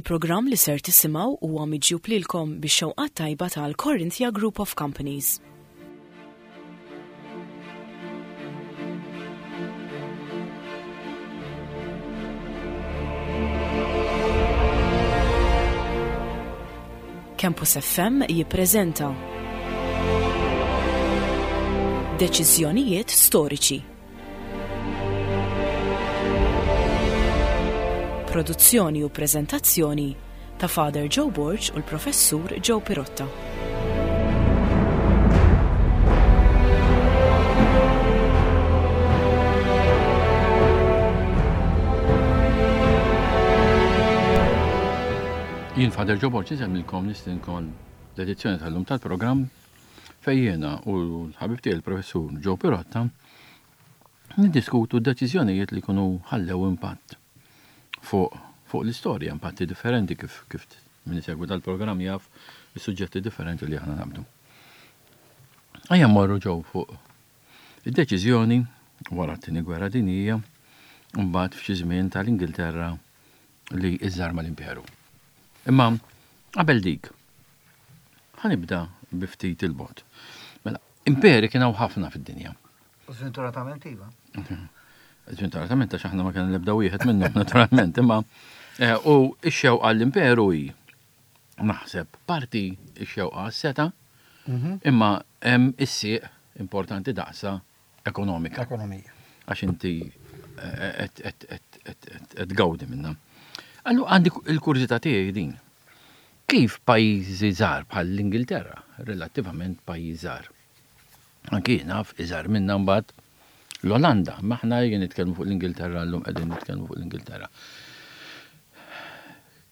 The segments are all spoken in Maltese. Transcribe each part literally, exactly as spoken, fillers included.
Il-programm li ser tisimgħu huwa miġjub lilkom bix-xewqat tajba tal-Corinthia Group of Companies. Campus F M jippreżenta Deċiżjonijiet Storiċi. Produzzjoni u preżentazzjoni ta' Father Joe Borg u l-Professur Joe Pirotta. Jien Father Joe Borg insemmilkom nistinkom l-edizzjoni tal-lum tal-programm fejn jiena u l-ħabib tiegħi l-Professur Joe Pirotta niddiskutu deċiżjonijiet li jkunu ħallew impatt fuq fuq l-istorja, impatti differenti kif kif min isegwi tal-programm jaf is-suġġetti differenti li aħna naqbdu. Ejja mmorru ġew fuq id-deċiżjoni wara t-tieni gwerra dinjija mbagħad f'xi żmien tal-Ingilterra li iżżarma l-imperu. Imma qabel dik, ħa nibda bi ftit il-bogħod. Mela, imperi kien hawn ħafna fid-dinja. Sventuratament iva. Sventuratament għax aħna ma kien l-ebda wieħed minnhom naturalment, imma eh, u x-xewqa l-imperu hi naħseb parti x-xewqa s-seta, imma hemm is-sieq importanti daqsa ekonomika. Ekonomija. Għax inti eh, qed tgawdi minnha. Allu għandi il-kurżità tiegħi din. Kif pajjiżi żgħar bħal l-Ingilterra, relattivament pajjiż żgħar. Anki naf iżgħar minna mbagħad l-Olanda, ma aħna jien nitkellmu fuq l-Ingilterra llum qegħdin nitkellmu fuq l-Ingilterra.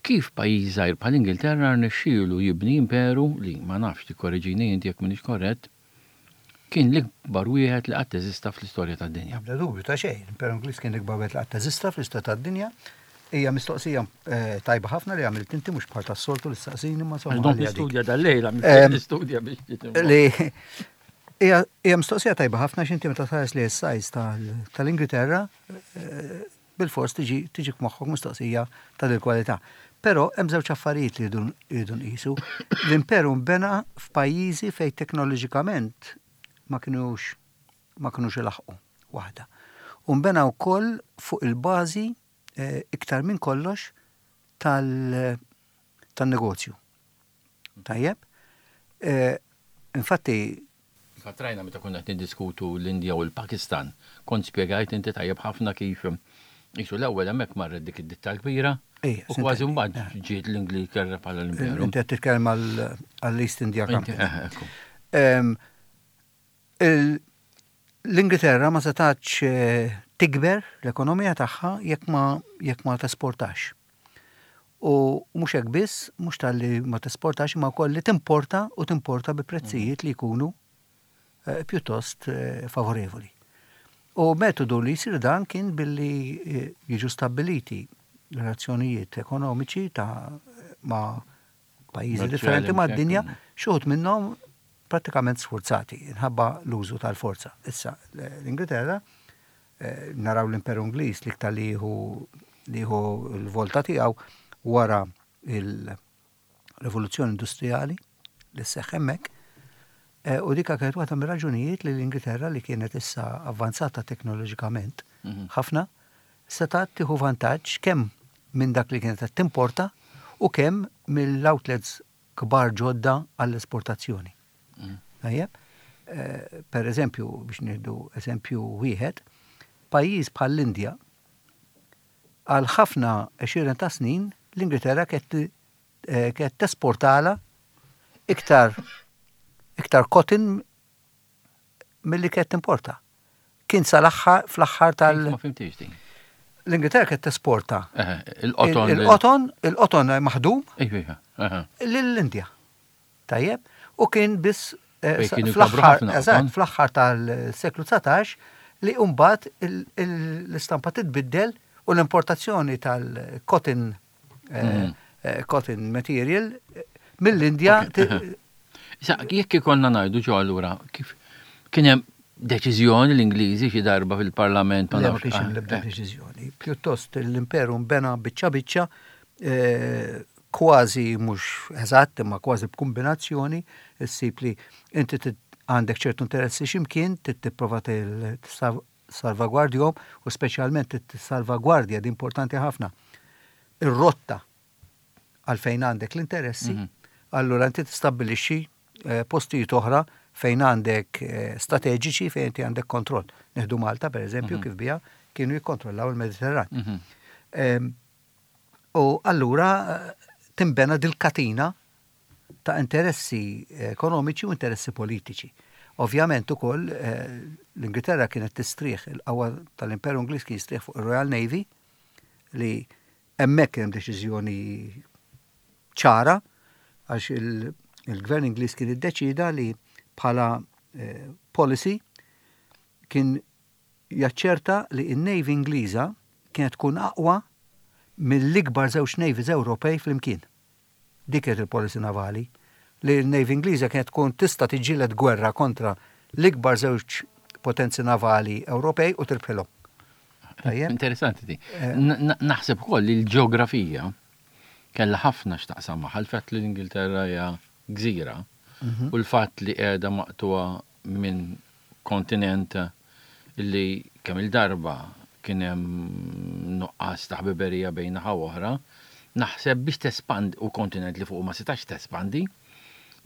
Kif pajjiż żgħir bħal l-Ingilterra rnexxielu jibni imperu li ma nafx, tikkoreġini inti jekk m'iniex korrett, kien l-ikbar wieħed li qatt eżista fl-istorja tad-dinja. Bla dubju ta' xejn, l-Imperu Ingliż kien l-ikbar wieħed li qatt eżista fl-istorja tad-dinja. Hija mistoqsija eh, tajba ħafna li għamilt inti, mhux bħal tas-soltu li staqsini ma Għax dom ħalli għadik. nistudja dal-lejla, Em, nistudja biex Li hija hija mistoqsija tajba ħafna x'inti meta tħares li s-size tal-Ingilterra eh, bil-fors tiġi tiġi f'moħħok mistoqsija ta' dil kwalità. Però hemm żewġ affarijiet li jridu jridu nqisu. L-imperu nbena f'pajjiżi fejn teknoloġikament ma kinux ma kinux ilaħqu waħda. U nbena wkoll fuq il-bażi eh, iktar minn kollox tal- tan-negozju. Tajjeb? Eh, Infatti, Fatrajna meta konna qed niddiskutu l-Indja u l-Pakistan, kont spjegajt inti tajjeb ħafna kif jisu l-ewwel hemmhekk marret dik id-ditta kbira Ejja, u kważi sintendi. mbagħad ġiet l-Ingilterra bħala l-imperu. Inti qed titkellem għall-East India Inti- Company. eh, ekku. Em, il- L-Ingilterra ma setax eh, tikber l-ekonomija tagħha jekk ma jekk ma tesportax. U mhux hekk biss, mhux talli ma tesportax, imma wkoll li timporta u timporta bi prezzijiet li jkunu eh, pjuttost eh, favorevoli. U metodu li jsir dan kien billi eh, jiġu stabiliti relazzjonijiet ekonomiċi ta' ma' pajjiżi Kummerċjali, differenti mad-dinja, mhux hekk. xi wħud minnhom prattikament sforzati, inħabba l-użu tal-forza. Issa, l-Ingilterra, eh, naraw l-Imperu Ingliż li iktar li jieħu li jieħu l-volta tiegħu wara il-rivoluzzjoni industrijali li seħħ hemmhekk, eh, u dika kienet waħda mir-raġunijiet li l-Ingilterra, li kienet issa avvanzata teknoloġikament Mhm. ħafna, setgħet tieħu vantaġġ kemm minn dak li kienet qed timporta u kemm mill-outlets kbar ġodda għall-esportazzjoni. Mhm. Tajjeb? Eh, Per eżempju, biex nieħdu eżempju wieħed, pajjiż bħall-Indja għal ħafna għexieren ta' snin l-Ingilterra kienet eh, kienet tesportala iktar iktar cotton milli kienet timporta. Kien sal-aħħar fl-aħħar tal Ma fhimtix din. l-Ingilterra kienet tesporta Eh, Il-qoton. il-qoton, il-qoton maħdum Ejja, ejja, aha. lill-Indja. Tajjeb? U kien biss eh, Fejn sa- kienu jkabru fl-aħħar ħafna eżatt, qoton. fl-aħħar tal-seklu dsatax li mbagħad il- il- l-istampa titbiddel u l-importazzjoni tal-cotton eh, Mhm. eh, cotton material eh, mill-Indja Ok, aha. Issa, jekk ikollna ngħidu ġo allura, kif kien hemm deċiżjoni l-Ingliżi xi darba fil-Parlament ma Le, ma nafx. kienx hemm ah, l-ebda eh. deċiżjoni. Pjuttost l-imperu nbena biċċa biċċa eh, kważi mhux eżatt, imma kważi b'kombinazzjoni, issib li inti għandek ċertu interessi x'imkien, tipprova salvagwardjhom u speċjalment tissalvagwardja, di importanti ħafna, ir-rotta għalfejn għandek l-interessi, mhm. allura inti tistabbilixxi eh, postijiet oħra fejn għandek eh, strateġiċi, fejn inti għandek kontroll. Nieħdu Malta, per eżempju, mhm. kif bija kienu jikkontrollaw il-Mediterran. Mhm. U allura eh, timbena dil-katina ta' interessi ekonomiċi u interessi politiċi. Ovvjament ukoll eh, l-Ingilterra kienet tistrieħ, il-qawwa tal-Imperu Ingliż kien jistrieħ fuq ir-Royal Navy, li hemmhekk hemm deċiżjoni ċara, għax il-gvern Ingliż kien iddeċida li bħala eh, policy kien jaċċerta li n-Navy Ingliża kienet tkun aqwa mill-ikbar żewġ navies Ewropej flimkien. Dik kienet il-policy navali, li l-Navy Ingliża kienet tkun tista' tiġġieled gwerra kontra l-ikbar żewġ potenzi navali Ewropej u tirbħilhom. Interessanti di. Eh. Naħseb ukoll li l-ġeografija kellha ħafna x'taqsam magħha, l-fatt li l-Ingilterra hija gżira mhm. u l-fatt li qiegħda maqtuha minn kontinent li kemm il-darba kien hemm nuqqas ta' ħbiberija bejn naħa oħra, naħseb biex tespandi, u kontinent li fuq ma setax tespandi,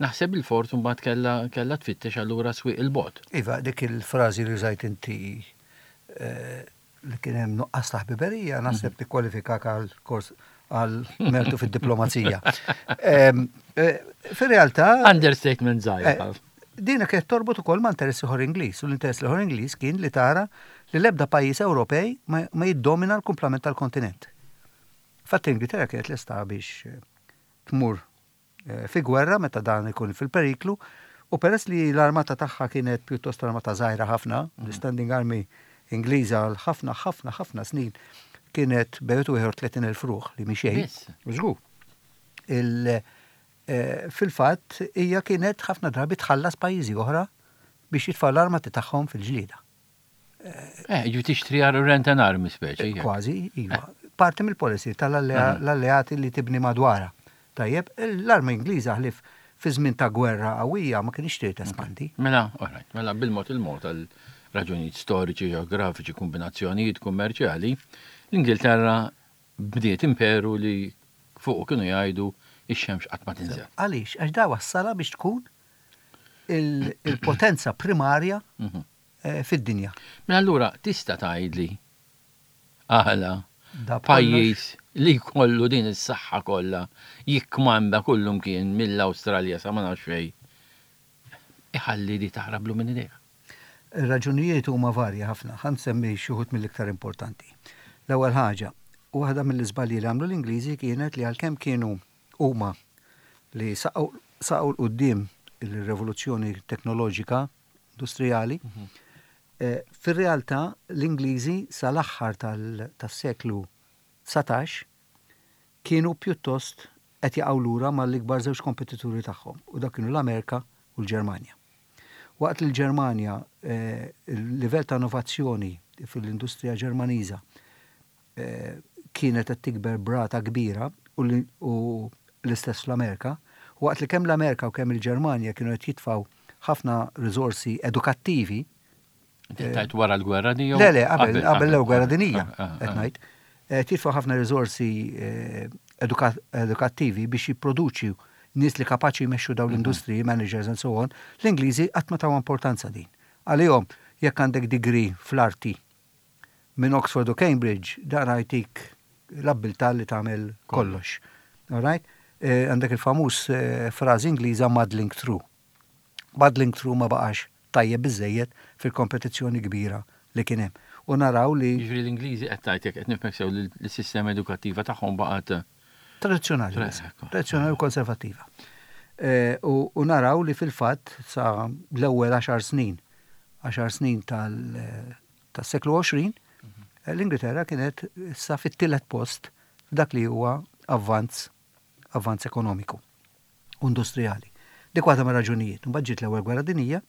naħseb il-fort mbagħad kellha kellha tfittex allura swieq il-bogħod. Iva, dik il-frażi li użajt inti eh, li kien hemm nuqqas ta' ħbiberija, naħseb mhm. tikkwalifikak għal kors għal mertu fid-diplomazija. Eh, fir-realtà. Understatement żgħir. Eh, dina kienet torbot ukoll ma' interess ieħor Ingliż, u l-interess ieħor Ingliż kien li tara li l-ebda pajjiż Ewropej ma jiddomina l-kumplament tal-kontinent. Fatt, Ingilterra kienet lesta biex tmur Eh, fi gwerra meta dan ikun fil-periklu, u peress li l-armata tagħha kienet pjuttost armata żgħira ħafna, mhm. l-Standing Army Ingliża għal ħafna ħafna ħafna snin kienet bejn wieħed tletin elf ruħ, li mhi xejn. Żgur. Eh, fil-fatt hija kienet ħafna drabi tħallas pajjiżi oħra biex jitfgħu l-armati tagħhom fil-ġlieda. Eh, ġu tixtri għar rent an army speċi. Kważi, iva. Parti mill-policy tal-alleati li tibni madwara. Tajjeb, l-arma Ingliża, ħlief fi żmien ta' gwerra qawwija, ma kienx trid espandi. Mela, alright, mela bil-mod il-mod, għal raġunijiet storiċi, ġeografiċi, kombinazzjonijiet kummerċjali, l-Ingilterra bdiet imperu li fuq kienu jgħidu ix-xemx qatt ma tinżel. Għaliex? Għax da wassala biex tkun il-potenza primarja mhm. eh, fid-dinja. Mela allura tista' tgħidli għala pajjiż li jkollu din is-saħħa kollha, jikkmanda kullum kien mill-Awstralja sa ma nafx fejn, iħalli li taħrablu minn idejh? Ir-raġunijiet huma varja ħafna, ħa nsemmi xi wħud mill-iktar importanti. L-ewwel ħaġa, waħda mill-iżbalji li għamlu l-Ingliżi kienet li għalkemm kienu huma li saqgħu 'l quddiem il-rivoluzzjoni teknoloġika industrijali, mhm. eh, fir-realtà l-Ingliżi sal-aħħar tas-seklu dsatax kienu pjuttost qed jaqgħu lura mal-ikbar żewġ kompetituri tagħhom, u dak kienu l-Amerika u l-Ġermanja. Waqt li l-Ġermanja, eh, il-livell ta' innovazzjoni fil-industrija Ġermaniża eh, kienet qed tikber b'rata kbira, u l-istess fl-Amerika, waqt li kemm l-Amerika u kemm il-Ġermanja kienu qed jitfgħu ħafna riżorsi edukattivi. Tajt wara l-gwerra di? Le, le, qabel l-gwerra dinija, qed ngħid. Titfa' ħafna riżorsi edukattivi biex jipproduċi nies li kapaċi jmexxu dawn l-industriji, managers and so on, l-Ingliżi qatt ma taw importanza din. Għalihom, jekk għandek degree fl-arti minn Oxford u Cambridge, dan jtik l-abbiltà li tagħmel kollox. All right? Għandek il-famuż frażi Ingliża, "muddling through". Muddling through ma baqax tajjeb biżejjed fil-kompetizzjoni kbira li kien hemm. U naraw li Jiġifieri l-Ingliżi, qed tgħid, jekk qed nifhmek sew, li l-sistema edukattiva tagħhom baqgħet Tradizzjonali, tradizzjonali u konservattiva. U naraw li fil-fatt sa l-ewwel għaxar snin, għaxar snin tas-seklu għoxrin, l-Ingilterra kienet sa fit-tielet post f'dak li huwa avvanz avvanz ekonomiku u industrijali. Dik waħda mir-raġunijiet. Mbagħad ġiet l-Ewwel Gwerra Dinija,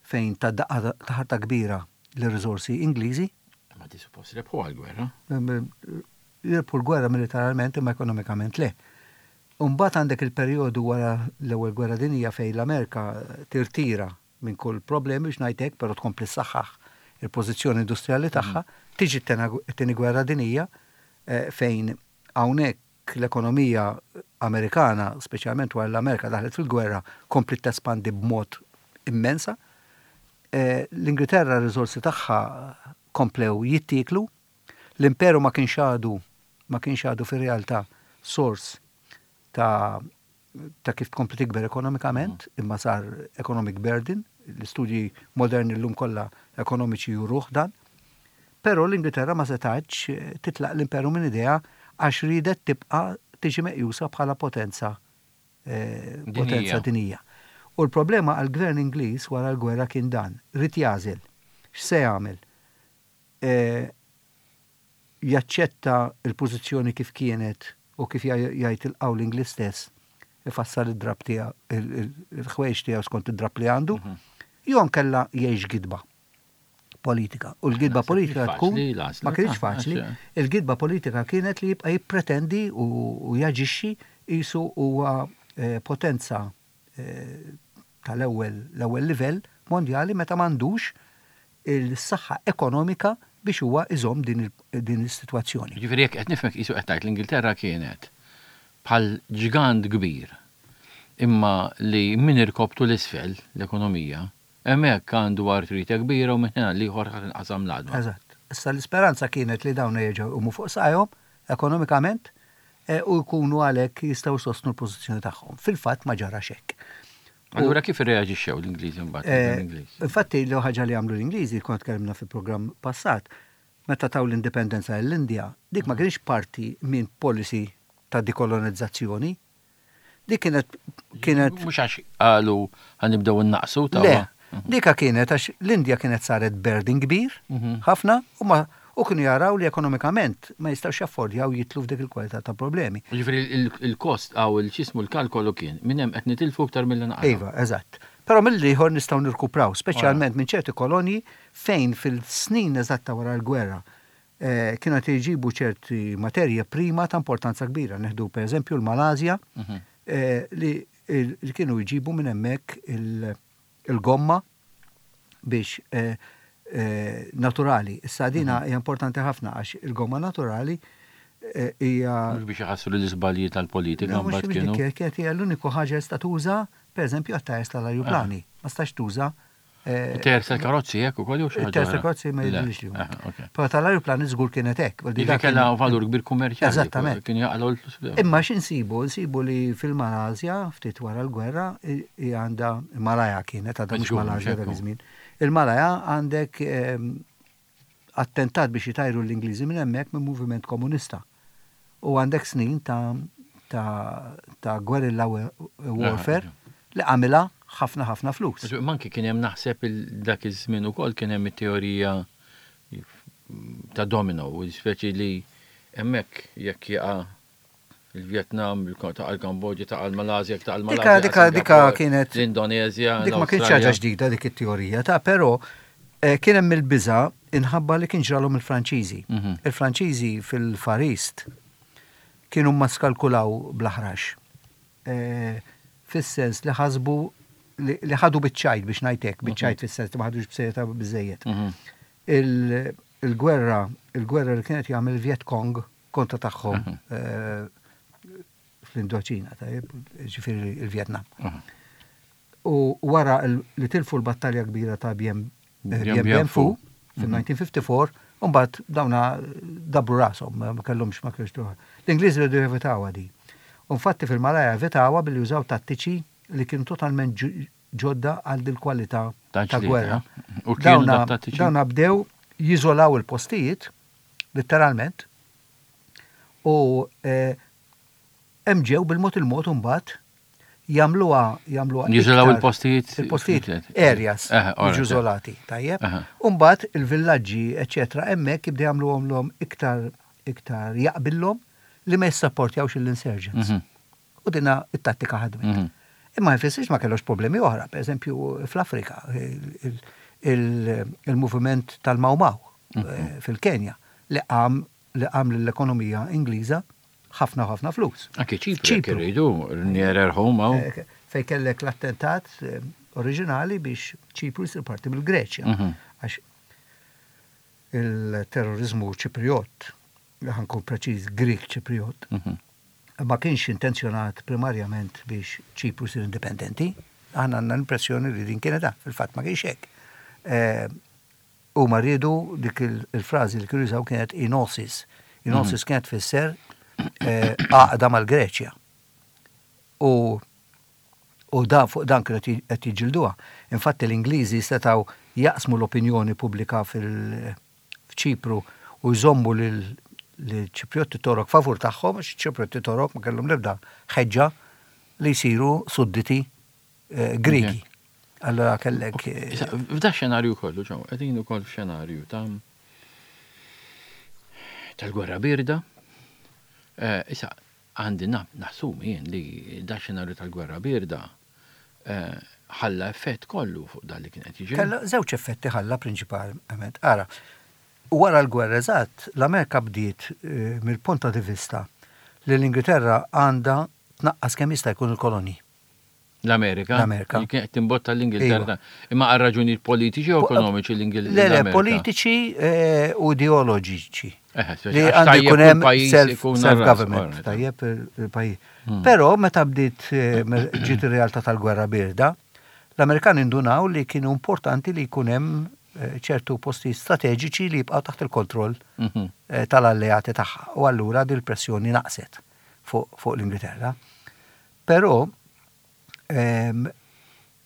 fejn ta daqqa ta' ħarta kbira l-riżorsi Ingliżi. Ma di suppost rebħu għal-gwerra. jirbħu l-gwerra militarment imma ekonomikament le. Umbagħad għandek il-perjodu wara l-ewwel gwerra dinija fejn l-Amerika tirtira minn kull problemi biex ngħidlek, però tkompli ssaħħaħ il-pożizzjoni industrijali tagħha, tiġi t-tieni gwerra dinija eh, fejn hawnhekk l-ekonomija Amerikana, speċjalment wara l-Amerika daħlet fil-gwerra, kompli tespandi b'mod immensa. Eh, L-Ingilterra r-riżorsi tagħha komplew jittieklu, l-imperu ma kienx għadu ma kienx għadu fir-realtà sors ta' ta' kif tkompli tikber ekonomikament, imma sar economic burden, l-istudji moderni l-lum kollha ekonomiċi juruh dan. Però l-Ingilterra ma setax eh, titlaq l-imperu minn idejha għax ridet tibqa' tiġi meqjusa bħala potenza eh, potenza dinija. U l-problema għal-gvern Ingliż wara l-gwerra kien dan, ried jagħżel. X'se jagħmel? Eh, jaċċetta il-pożizzjoni kif kienet u kif jgħid il-qawl Ingliż stess, ifassal id-drab tiegħu, il-ħwejjeġ tiegħu skont id-drab li għandu, mhm. jew nkella jgħix gidba politika. U l-gidba politika tkun ma kienx faċli. Il-gidba politika kienet li jibqa' jippretendi u jaġixxi qisu huwa eh, potenza eh, tal-ewwel l-ewwel livell mondjali meta m'għandux il-saħħa ekonomika biex huwa iżomm din is-sitwazzjoni. Ġifieri jekk qed nifhmek qisu qed tgħid l-Ingilterra kienet bħal ġgant kbir imma li min irkobtu l-isfel l-ekonomija, hemmhekk għandu artrite kbira u minn hena l-ieħor ħadd inqasam l-għadma. Eżatt. Issa l-isperanza kienet li dawn jerġgħu jqumu fuq saqajhom ekonomikament eh, u jkunu għalhekk jistgħu sostnu l-pożizzjoni tagħhom. Fil-fatt ma ġarax hekk. Allura kif irreaġixxew l-Ingliżi mbagħad? Eh, infatti l ħaġa li għamlu l-Ingliżi kont tkellimna fil-programm passat, meta taw l-indipendenza l-Indja, dik ma kienx parti minn policy ta' dekolonizzazzjoni. Dik kienet kienet Mhux għax qalu ħa nibdew innaqsu ta' Le, dika kienet għax l-Indja kienet saret burden kbir mhm. ħafna u ma u kienu jaraw li ekonomikament ma jistgħux jaffordjaw jidħlu f'dik il-kwalità ta' problemi. Ġifieri il-kost għaw il-ċismu l-kalkolu kien minn hemm qed nitilfu aktar milli naqra. Iva, eżatt. Però mill-ieħor nistgħu nirkupraw, speċjalment minn ċerti kolonji fejn fil-snin eżatta wara l-gwerra eh, kienu qed jġibu ċerti materja prima ta' importanza kbira. Neħdu per eżempju l-Malasja mhm. eh, li kienu jġibu minn hemmhekk il-gomma biex eh, naturali. Issa dina mhm. hija importanti ħafna għax il-gomma naturali hija. Mhux biex iħassru l-iżbalji tal-politika mbagħad kienu. Kienet hija l-uniku ħaġa li tuża, pereżempju għat-tajers tal-ajruplani. Ma stax tuża Tajers tal-karozzi hekk ukoll jew xi ħaġa? Tajers tal-karozzi ma jidhirlix li huma. Però tal-ajruplani żgur kienet hekk. Dik kellha valur kbir kummerċjali. Eżattament. Kien jaqalgħu l-flus. Imma x'insibu? Nsibu li fil-Malasja ftit wara l-gwerra għandha Malaja kienet għadha mhux Malasja dak iż-żmien. Il-Malaja għandek ehm, attentat biex jitajru l-Ingliżi minn hemmhekk minn moviment komunista. U għandek snin ta' ta' ta' guerrilla warfare li għamilha ħafna ħafna flus. Manki kien hemm naħseb dak iż-żmien ukoll kien hemm it-teorija ta' domino, speċi li hemmhekk jekk jaqa' il-Vietnam, ta' l-Kambodja, ta' l-Malasja, ta' l-Malasja. Dika, dika kienet. L-Indonezja. Dik ma kienx ħaġa ġdida dik it-teorija, ta' però eh, kien hemm il-biża inħabba li kien ġralhom il-Franċiżi. Mhm. Il-Franċiżi fil-Far East kienu ma skalkulaw bl-aħrax. Eh, fis-sens li ħasbu li ħadu biċ-ċajt biex ngħidlek, biċ-ċajt mhm. fis-sens li ma ħadux b'serjetà biżejjed. Mhm. Il-gwerra, il-gwerra li kienet jagħmel Viet Cong kontra tagħhom mhm. eh, fl-Indoċina, tajjeb, ġifieri il-Vietnam. U wara li tilfu l-battalja kbira ta' Dien Bien Phu fil-elf disa' mija u ħamsa u ħamsin, Umbagħad dawna dabru rashom, ma kellhomx ma kellux L-Ingliżi rridu jevitawha di. Infatti fil-Malaja evitawha billi jużaw tattiċi li kienu totalment ġodda għal dil kwalità ta' gwerra. Dawna bdew jiżolaw il-postijiet, letteralment, u eh, hemm ġew bil-mod il-mod imbagħad jagħmluha jagħmluha Jiżolaw il-postijiet il-postijiet areas jiġu iżolati, tajjeb. Umbagħad il-villaġġi eċċetera hemmhekk jibdew jagħmluhom iktar iktar jaqbillhom li ma jissapportjawx l-insurgents. Mhm. U dina it-tattika ħadmet. Mhm. Imma jfissirx ma kellux problemi oħra, per eżempju fl-Afrika, il-moviment tal-Mau Mau mhm. eh, fil-Kenja li qam li qam l-ekonomija Ingliża ħafna ħafna flus. Anke Ċipru, jekk irridu, nearer home hawn. Eh, Fej kellek l-attentat eh, oriġinali biex Ċipru jsir parti mill-Greċja. Mhm. Għax il-terrorizmu Ċipriot, ħa nkun preċiż Grik Ċipriot, Mhm. ma kienx intenzjonat primarjament biex Ċipru jsir indipendenti. Aħna għandna l-impressjoni li din kienet da, fil-fatt ma kienx hekk. Eh, U ma rridu dik il- il-frażi li kienu jużaw kienet enosis. Enosis kienet tfisser eh, għaqda mal-Greċja. U u dan fuq dan kienu qed qed jiġġilduha. Infatti l-Ingliżi setgħu jaqsmu l-opinjoni pubblika fil-Ċipru u jżommu lil Ċipriotti Torok favur tagħhom, għax Ċipriotti Torok ma kellhom l-ebda ħeġġa li jsiru sudditi eh, Grigi. Allora kellek eh, Issa, f'da xenarju kollu, ġew, qegħdin ukoll f'xenarju ta' tal-gwerra birda. Eh, Issa, għandi na- nassumi jien li da xenarju tal-gwerra birda eh, ħalla effett kollu fuq dan li kien qed jiġri. Kella żewġ effetti ħalla prinċipalment. Ara, wara l-gwerra eżatt, l-Amerika bdiet eh, mill-punta di vista li l-Ingilterra għandha tnaqqas kemm jista' jkun il-kolonji. L-Amerika. L-Amerika. Li kien qed timbotta l-Ingilterra. Imma għal raġunijiet politiċi u ekonomiċi Le, le, l-Ingilterra. politiċi eh, u ideoloġiċi. Eh, Li għandu jkun hemm self-government, tajjeb il-pajjiż. Hmm. Però meta bdiet eh, me- ġiet ir-realtà tal-gwerra birda, l-Amerikani indunaw li kienu importanti li jkun hemm eh, ċertu posti strateġiċi li jibqgħu taħt il-kontroll Mhm. eh, tal-alleati tagħha. U allura dil pressjoni naqset fuq fuq l-Ingilterra. Però ehm,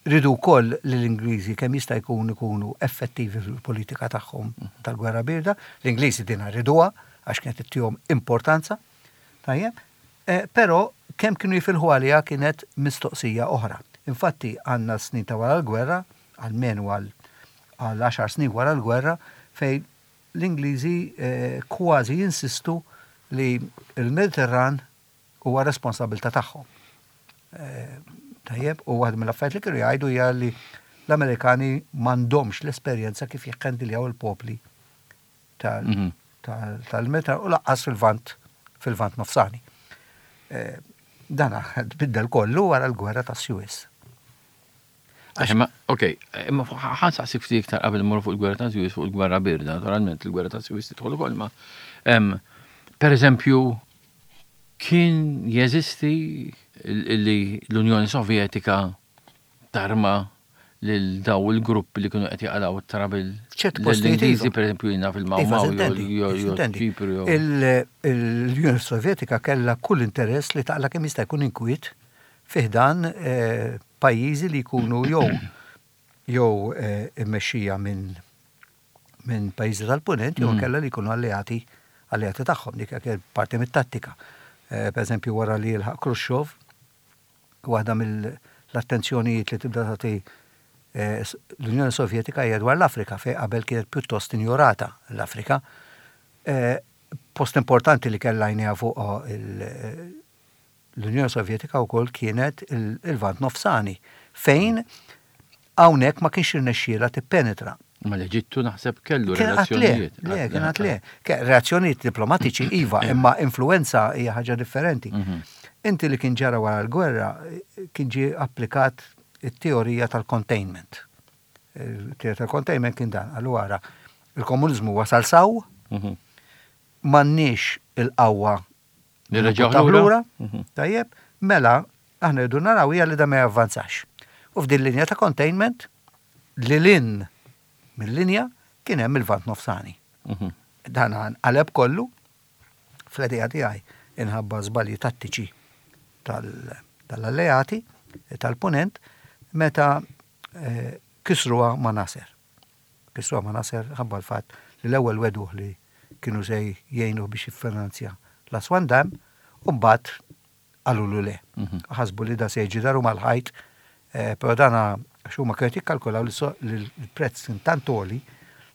ridu wkoll li l-Ingliżi kemm jista' jkun ikunu effettivi fil-politika tagħhom tal-gwerra birda. L-Ingliżi din riduha għax kienet ittihom importanza. Tajjeb. Eh, Però kemm kienu jifilħu għaliha kienet mistoqsija oħra. Infatti għandna snin ta' wara l-gwerra, almenu għal għal għaxar snin wara l-gwerra, fejn l-Ingliżi eh, kważi jinsistu li il-Mediterran huwa responsabilità tagħhom. Eh, Tajjeb, u waħda mill-affarijiet li kienu jgħidu hija li l-Amerikani m'għandhomx l-esperjenza kif jikhandiljaw il-popli tal- Mhm. tal- tal-Mediterran u lanqas fil-Lvant fil-Lvant nofsani. Eh, Dan tbiddel kollu wara l-gwerra ta' Suez. Imma, ok, imma ħa nsaqsik ftit iktar qabel mmorru fuq il-gwerra ta' Suez, fuq il-gwerra birda, naturalment il-gwerra ta' Suez tidħol ukoll, ma em, per eżempju, kien jeżisti li l-Unjoni Sovjetika tarma lil daw il-gruppi li kienu qed jaqalgħu it-trouble ċerti postijiet l-Ingliżi iva. per eżempju jiena fil-Maw Iva, Maw sintendi, jew jew sintendi. Ċipru jew Il- L-Unjoni Sovjetika kellha kull interess li taqla kemm jista' jkun inkwiet fi ħdan eh, pajjiżi li jkunu jew jew eh, immexxija minn minn pajjiżi tal-punent jew Mm. kellha li jkunu alleati alleati tagħhom dik kienet parti mit-tattika. Eh, Per eżempju wara li jilħaq Khrushchev, waħda mill-attenzjonijiet li tibda tagħti eh, s- l-Unjoni Sovjetika hija dwar l-Afrika fejn qabel kienet pjuttost injorata l-Afrika. Eh, Post importanti li kellha għajnejha fuq il- l-Unjoni Sovjetika wkoll kienet il- il-Lvant Nofsani, fejn hawnhekk ma kienx irnexxielha tippenetra. Ma l-Eġittu naħseb kellu Kien għat le, relazzjonijiet. le, kien għat le. Ke- Reazzjonijiet diplomatiċi iva, imma influenza hija ħaġa differenti. Mhm. Inti li kien ġara wara l-gwerra kien ġie applikat it-teorija tal-containment. Il-teorija tal-containment kien dan, allura il-komunizmu wasal s'hawn, Mhm. m'għandniex il-qawwa Nirreġgħu nibbuttaw lura? Mhm. Tajjeb, mela aħna rridu naraw hija li da ma javvanzax. U f'din linja ta' containment li lin mill-linja kien hemm il-Lvant nofsani. Mhm. Dan qaleb kollu fl-idea tiegħi inħabba żbalji tattiċi tal- tal-alleati tal-punent meta eh, kisruha ma' Nasser. Kisruha ma' Nasser ħabba l-fatt li l-ewwel wegħduh li kienu se jgħinu biex jiffinanzja l-Aswan Dam u mbagħad qalulu le. Mhm. Ħasbu li da se jiġi daru mal-ħajt, eh, però dana għax huma kienu jikkalkulaw li so- li l-prezz kien tant għoli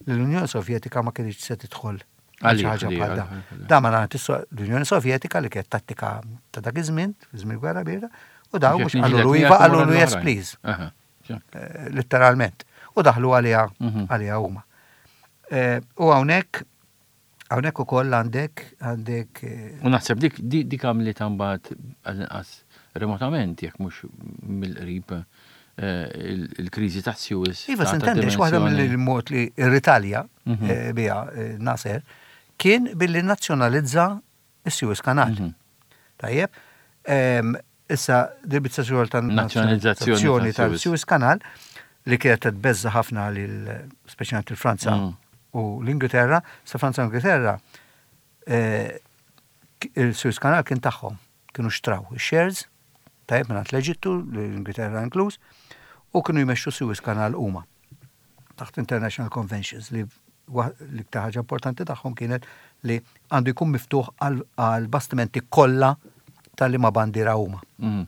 li l-Unjoni Sovjetika ma kienx se tidħol għal xi Għalih, ħaġa għalih, bħal da. għalih, għalih. Da ma nagħti l-Unjoni Sovjetika li kienet tattika ta' dak iż-żmien, fi żmien gwerra birda, u daw mhux qalulu iva, qalulu yes please, Aha, ċa. eh, letteralment. U daħlu għaliha Mhm. għaliha huma. Eh, U hawnhekk Hawnhekk ukoll għandek għandek eh, U naħseb dik dik dik għamlet imbagħad għall-inqas remotament, jekk mhux mill-qrib, eh, il- il-kriżi ta' Suez. Iva, ta' ta' s'intendix, waħda dimensjoni. mill-mod li irritalja Mhm. eh, biha eh, Nasser kien billi nazzjonalizza is-Suez Canal. Mhm. Tajjeb, em, issa dil-biċċa xogħol ta' Nazzjonalizzazzjoni nazzjonalizzazzjoni tal-Suez. tal-Suez Canal li kienet tbeżza ħafna lil speċjalment il-Franza Mm. u l-Ingilterra, sa Franza u l-Ingilterra eh, il-Suez Canal kien tagħhom, kienu xtraw il-shares, tajjeb, minn l-Eġittu, l-Ingilterra inkluż, u kienu jmexxu Suez Canal huma taħt International Conventions li wa- l-iktar ħaġa importanti tagħhom kienet li għandu jkun miftuħ għal- għal bastimenti kollha tal-liema bandiera huma. Mhm.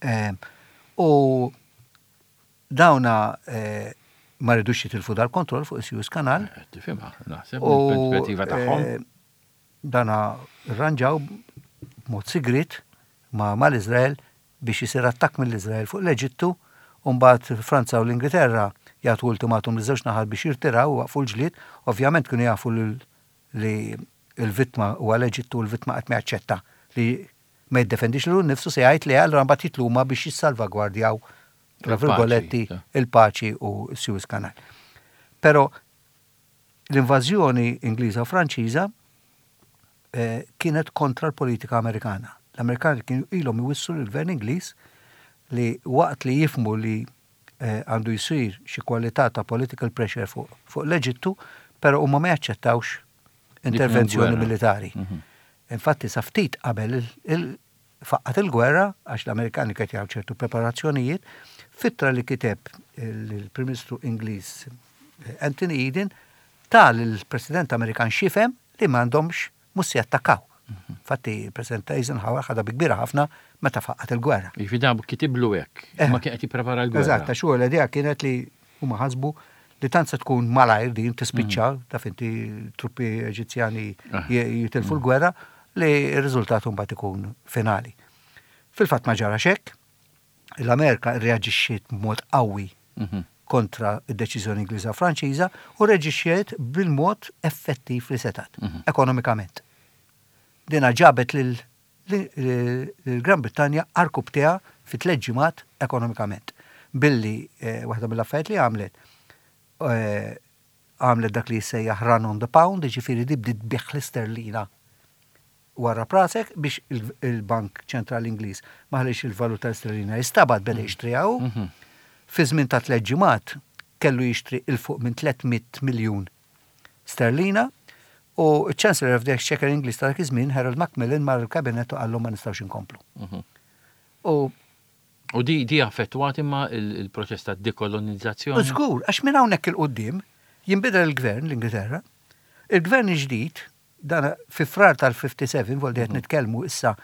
Em, U dawna eh, ma ridux jitilfu dal-kontroll fuq is-Suez Canal. Eh, Tifhimha, naħseb, U mill-perspettiva tagħhom. eh, dana rranġaw b'mod sigrit ma' mal-Izrael biex jisir attakk mill-Izrael fuq l-Eġittu, u mbagħad Franza u l-Ingilterra jagħtu ultimatum li żewġ naħat biex jirtiraw u waqfu l-ġlied. Ovvjament kienu jafu li- li l-vittma huwa l-Eġittu u l-vittma qatt ma jaċċetta li ma jiddefendix lilu nnifsu, se jgħid li allura mbagħad jitlu huma biex jissalvagwardjaw, tra Il-paċi, virgoletti, ta. il-paċi u Suez Canal. Però l-invażjoni Ingliża u Franċiża eh, kienet kontra l-politika Amerikana. L-Amerikani kienu ilhom iwissu l-gvern Ingliż li waqt li jifhmu li eh, għandu jsir xi kwalità ta' political pressure fuq fuq l-Eġittu, però huma ma jaċċettawx intervenzjoni gwerra. militari. Mhm. Infatti sa ftit qabel il- il- faqqat il-gwerra, għax l-Amerikani kien jagħmlu ċertu preparazzjonijiet, f'ittra li kiteb il-Prim Ministru Ingliż eh, Anthony Eden ta lill-President Amerikan x'jifhem li m'għandhomx mhux se jattakkaw. Infatti il-President Eisenhower ħadha bi kbira ħafna meta faqqat il-gwerra. Jiġifieri dan kitiblu hekk, Eh. ma kien qed jipprepara l-gwerra. Eżatt, għax huwa l-idea kienet li huma ħasbu li tant se tkun malajr din tispiċċa, taf inti, truppi Eġizzjani Ah. j- jitilfu l-gwerra, li r-riżultat mbagħad ikun finali. Fil-fatt ma ġara hekk, l-Amerika reaġixxiet b'mod qawwi Mhm. kontra id-deċiżjoni Ingliża Franċiża u reaġixxiet bil-mod effettiv li setat, Mhm. ekonomikament. Dina ġabet lil lil Gran Brittanja għarkupptejha fi tliet ġimgħat ekonomikament. Billi eh, waħda mill-affarijiet li għamlet eh, għamlet dak li jissejjaħ run on the pound, ġifieri di bdiet tbigħ l-isterlina wara rasek biex il- il-Bank Ċentrali Ingliż ma ħallix il-valuta sterlina jistabat, beda jixtriha hu. Mhm. Fi żmien ta' tliet ġimgħat kellu jixtri 'il fuq minn tliet mitt miljun sterlina u Chancellor of the Exchequer Ingliż ta' dak iż-żmien, Harold Macmillan, mar il-kabinet u qallu ma nistgħux inkomplu. Mhm. U U di di affettwat imma il- il-proċess ta' dekolonizzazzjoni. Żgur, għax minn hawnhekk 'il quddiem jinbidel il-gvern l-Ingilterra, il-gvern ġdid, dan fi Frar tal-ħamsa u ħamsin, voldi qed nitkellmu issa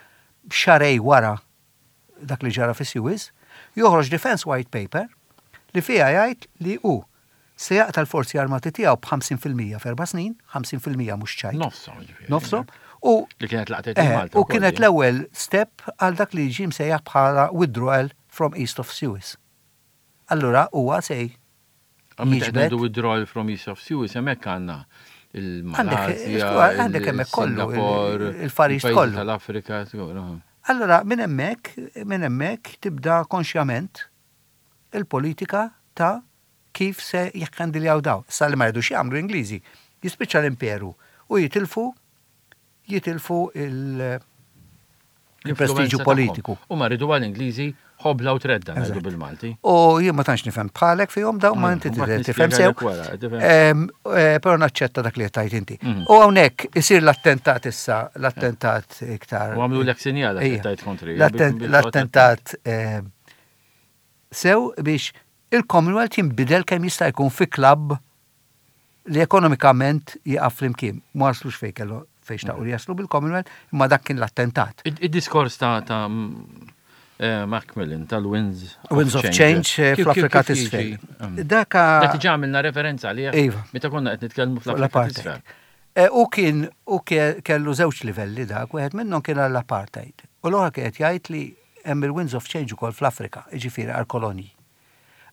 xahrejn wara dak li ġara fi Suez, joħroġ Defense White Paper li fiha jgħid li hu se jaqta l-forzi armati tiegħu b'ħamsin fil-mija f'erba' snin, ħamsin fil-mija mhux ċajt. Nofshom, ġifieri. Nofshom. U Li kienet laqtet Eh, il-Malta. u wkoll, kienet di. l-ewwel step għal dak li ġie msejjaħ bħala withdrawal from East of Suez. Allura huwa sej Meta jiġbed- ngħidu withdrawal from East of Suez, hemmhekk għandna il-Malasja, Għandek, għandek hemmhekk kollu, il-Singapore, il- il-Far East il-pajjiżi kollu. tal-Afrika, żgur, aha. Allora, minn hemmhekk, minn hemmhekk tibda konxjament il-politika ta' kif se jikhandiljaw daw. Sa li ma jridux jagħmlu Ingliżi, jispiċċa l-imperu u jitilfu jitilfu il- il-prestiġu L-influenza politiku. tagħhom. U ma rridu għal-Ingliżi ħobla u tredda, ngħidu Eżatt. bil-Malti. U jien ma tantx nifhem bħalek fihom daw, ma Mm, inti u mbagħad tidher tifhem sew. nispjegalek wara, tifhem. Em, eh, Però naċċetta dak li qed tgħid inti. Mhm. U hawnhekk isir l-attentat issa, l-attentat iktar. U għamlu l sinjal Ija. tajt kontri. L-atten- L-attentat em, sew biex il-Commonwealth jinbidel kemm jista' jkun fi klabb li ekonomikament jaqaf flimkien. Ma waslux fejn kellu fejn xtaqu li jaslu bil-Commonwealth, imma dak kien l-attentat. Id-diskors ta' ta' mm, eh, Macmillan tal-Winds Winds of Change eh, Kif- kif- fl-Afrika kif jiġi? t'isfel. Mm. Daka Dak diġà għamilna referenza għalih Iva. meta konna qed nitkellmu fuq fl-Afrika l-apartheid. t'isfel. Eh, U kien u ke- kellu żewġ livelli dak, wieħed minnhom kien għall-apartheid. U l-oħra kienet jgħid li hemm il-Winds of Change ukoll fl-Afrika, jiġifieri għall-kolonji.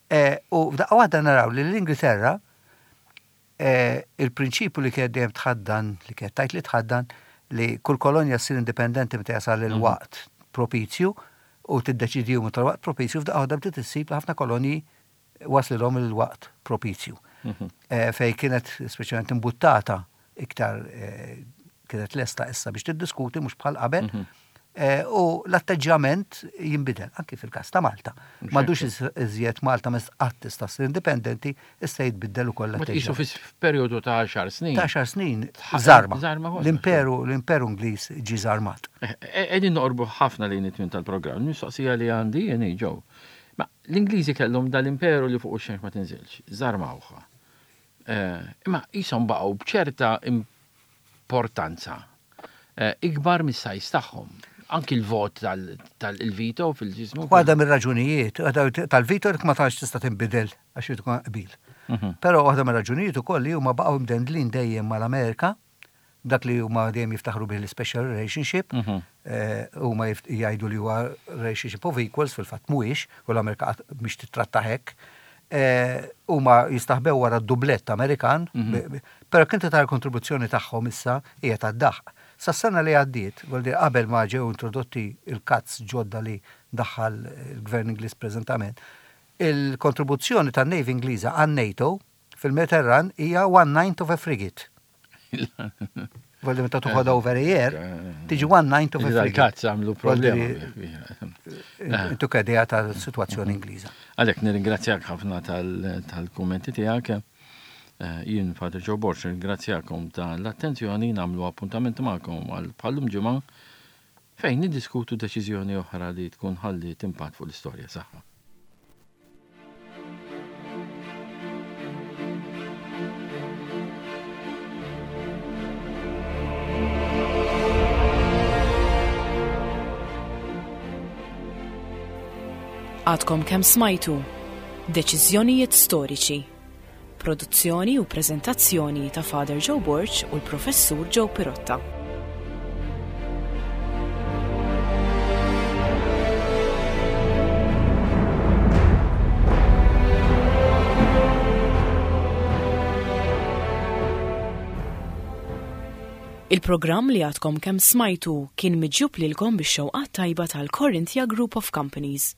Eh, U f'daqqa waħda naraw li l-Ingilterra Eh, il-prinċipju li kienet dejjem tħaddan, li kienet tajt li tħaddan, li kull kolonja ssir indipendenti meta jasal mhm. il-waqt propizju u tiddeċidi meta l-waqt propizju, f'daqqa waħda bdiet issib li ħafna kolonji waslilhom il-waqt propizju. Mhm. Eh, fej kienet speċjalment imbuttata iktar eh, kienet lesta issa biex tiddiskuti mhux bħal qabel. Mhm. Eh, u l-atteġġjament jinbidel, anki fil-każ ta' Malta. M'għadux iżjed Malta ma qatt tista' ssir indipendenti, issa jitbiddel ukoll l-atteġġjament. Qisu f'perjodu ta' għaxar snin. Ta' għaxar snin żarma. L-imperu l-imperu Ingliż ġie żarmat. Eh, eh, qegħdin noqorbu ħafna lejn it-tmiem tal-programm. Mistoqsija li għandi jien ġew. Ma l-Ingliżi kellhom dal-imperu li fuq ix-xemx ma tinżilx, żarmawha. Imma qishom baqgħu b'ċerta importanza ikbar mis-size tagħhom. Anki l-vot tal-veto fil-ġismu. Waħda mir-raġunijiet, tal-veto ma tantx tista' tinbidel għax tkun qbil. Mhm. Però waħda mir-raġunijiet ukoll li huma baqgħu mdendlin dejjem mal-Amerika, dak li huma dejjem jiftaħru bih l-special relationship, mhm. eh, huma jgħidu li huwa relationship of equals, fil-fatt mhuwiex, u l-Amerika mhix titratta hekk. Eh, huma jistaħbew wara d-dublett Amerikan, mhm. però kien tara kontribuzzjoni tagħhom issa hija tad-daħq. Sas-sena li għaddiet, vuol dire qabel ma ġew introdotti il-cuts ġodda li daħħal il-Gvern Ingliż preżentament, il-kontribuzzjoni tan-Navy Ingliża għan-NATO fil-Mediterran hija one ninth of a frigate. Vuol dire meta toħodha over a year, tiġi one ninth of a frigate. Cuts għamlu problema. Intu idea tal-situazzjoni Ingliża. Għalhekk nirringrazzjak ħafna tal-kummenti tiegħek. Eh, jien Father Joe Borg, ringrazzjakom tal-attenzjoni, nagħmlu appuntament magħkom għal bħal-lum ġimgħa fejn niddiskutu deċiżjoni oħra li tkun ħalliet impatt fuq l-istorja saħħa. Għadkom kemm smajtu Deċiżjonijiet storiċi. Produzzjoni u prezentazzjoni ta' Father Joe Borg u l-Professur Joe Pirotta. Il-programm li għadkom kemm smajtu kien miġjub lilkom bix-xewqat tajba tal-Corinthia Group of Companies.